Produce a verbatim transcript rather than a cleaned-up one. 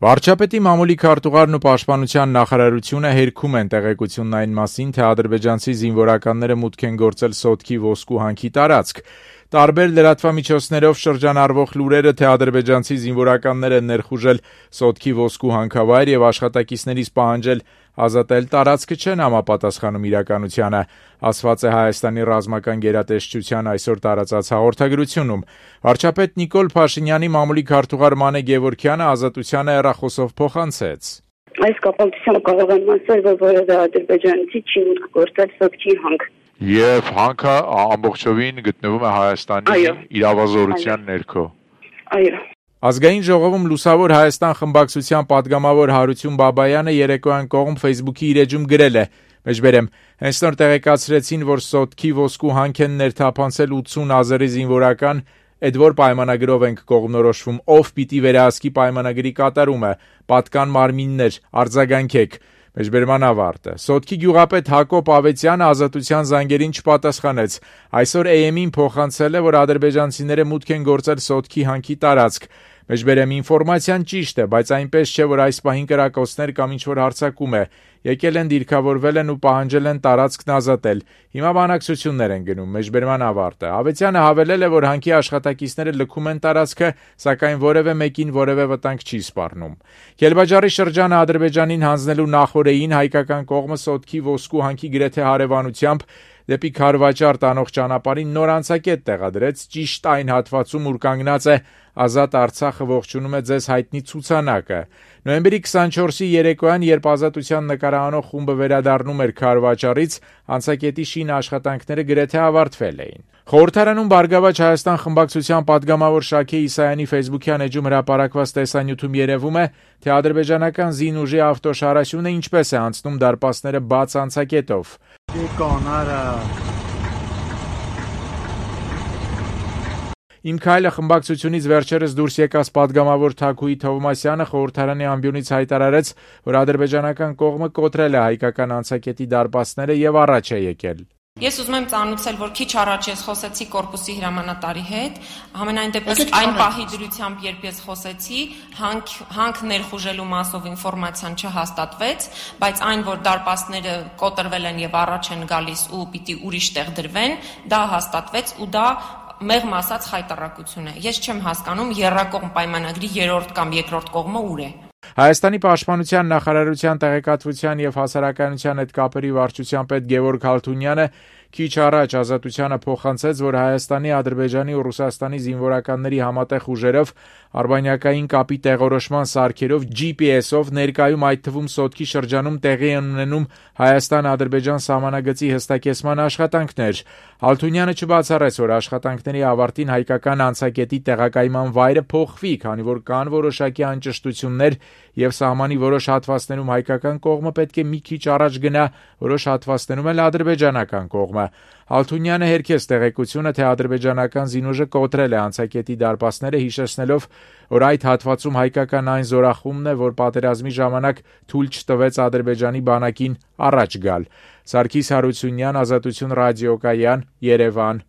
Վարչապետի մամուլի քարտուղարն ու պաշտպանության նախարարությունը հերքում են տեղեկությունն այն մասին, թե ադրբեջանցի զինվորականները մուտք են գործել Սոտքի ոսկու հանքի տարածք։ Տարբեր լրատվամիջոցներով շրջանառվող լուրերը, թե ադրբեջանցի զինվորականներ են ներխուժել Սոտքի ոսկու հանքավայր եւ աշխատակիցներից պահանջել ազատել տարածքը, չեն համապատասխանում իրականությանը, ասված է Հայաստանի ռազմական գերատեսչության այսօր տարածած հաղորդագրությունում։ Վարչապետ Նիկոլ Փաշինյանի մամուլի քարտուղար Մանե Գևորգյանը Ազատությանը հեռախոսով փոխանցեց. Այս կապակցությամբ կարող եմ ասել, որ որևէ ադրբեջանցի չի մուտք գործել Սոտքի հանք։ Եվ հանքը ամբողջովին գտնվում է Հայաստանի իրավազորության ներքո։ Այո։ Ազգային ժողովում Լուսավոր Հայաստան խմբակցության պատգամավոր Հարություն Բաբայանը երեկոյան կողմ Facebook-ի իր էջում գրել է. Մեջբերեմ, հենց նոր տեղեկացրեցին, որ Սոտքի ոսկու հանք են ներթափանցել ութսուն ազերի զինվորական, այդ որ պայմանագրով ենք կողմնորոշվում, ով պիտի վերահսկի պայմանագրի կատարումը, պատկան մարմիններ, արձագանքեք։ Մեջբերման ավարտը։ Սոտքի գյուղապետ Հակոբ Ավետյանը Ազատության զանգերին չպատասխանեց։ Այսօր A M-ին փոխանցել է, որ ադրբեջանցիները մուտք են գործել Սոտքի հանքի տարածք։ Մեջբերեմ ինֆորմացիան ճիշտ է, բայց այնպես չէ, որ այս պահին կրակոցներ կամ ինչ-որ հարձակում է։ Եկել են, դիրքավորվել են ու պահանջել են տարածքն ազատել։ Հիմա բանակցություններ են գնում, մեջբերման ավարտը։ Ավետյանը հավելել է, որ հանքի աշխատակիցները լքում են տարածքը, սակայն որևէ մեկին որևէ վտանգ չի սպառնում։ Քելբաջարի շրջանը Ադրբեջանին հանձնելու նախօրեին հայկական կողմը Սոտքի ոսկու հանքի գրեթե հարևանությամբ դեպի Քարվաճար տանող ճանապարհին նոր անցակետ տեղադրեց ճիշտ այն հատվածում, ուր կանգնած է Ազատ Արցախը ողջունում է ձեզ հայտնի ցուցանակը։ Նոյեմբերի քսանչորսի երեկոյան, երբ Ազատության նկարահանող խումբը վերադառնում էր Քարվաճարից, անցակետի շին աշխատանքները գրեթե ավարտվել էին։ Խորհրդարանում Բարգավաճ Հայաստան խմբակցության պատգամավոր Շաքե Իսայանի Facebook-յան էջում հրապարակված տեսանյութում երևում է, թե ադրբեջանական զինուժի ավտոշարաշյունը ինչպես է անցնում դարպասները բաց անցակետով։ Իմ քայլը խմբակցությունից վերջերս դուրս եկած պատգամավոր Թաքուի Թովմասյանը խորհրդարանի ամբիոնից հայտարարեց, որ ադրբեջանական կողմը կոտրել է հայկական անցակետի դարպասները եւ առաջ է եկել։ Ես ուզում եմ ծանուցել, որ քիչ առաջ ես խոսեցի կորպուսի հրամանատարի հետ, համենայն դեպս այն պահի դրությամբ, երբ ես խոսեցի, հանք, հանք ներխուժելու մասով ինֆորմացիան չհաստատվեց, բայց այն, որ դարպասները կոտրվել են եւ առաջ են գալիս ու պիտի ուրիշ տեղ դրվեն, դա հաստատվեց ու դա մեղմ ասած խայտարակություն է։ Ես չեմ հասկանում եռակողմ պայմանագրի երրորդ կամ երկրորդ կողմը ուր է։ Հայաստանի պաշտպանության նախարարության տեղեկատվության եւ հասարակայնության հետ կապերի վարչության պետ Գևորգ Հալթունյանը քիչ առաջ Ազատությանը փոխանցեց, որ Հայաստանի, Ադրբեջանի ու Ռուսաստանի զինվորականների համատեղ ուժերով արբանյակային կապի տեղորոշման սարքերով G P S-ով ներկայում այդ թվում Սոտքի շրջանում տեղի են ունենում Հայաստան-Ադրբեջան սահմանագծի հստակեցման աշխատանքներ։ Հալթունյանը չբացառեց, որ աշխատանքների ավարտին հայկական անցակետի տեղակայման վայրը փոխվի, քանի որ կան որոշակի անճշտություններ եւ սահմանի որոշ հատվածներում հայկական կողմը պետք է մի քիչ առաջ գնա, որոշ հատվածներում էլ ադրբեջանական կողմը։ Հալթունյանը հերքեց տեղեկությունը, թե ադրբեջանական զինուժը կոտրել է անցակետի դարպասները, հիշեցնելով, որ այդ հատվածում հայկական այն զորախումբն է, որ պատերազմի ժամանակ թույլ չտվեց Ադրբեջանի բանակին առաջ գալ։ Սարգիս Հարությունյան, Ազատություն ռադիոկայան, Երևան։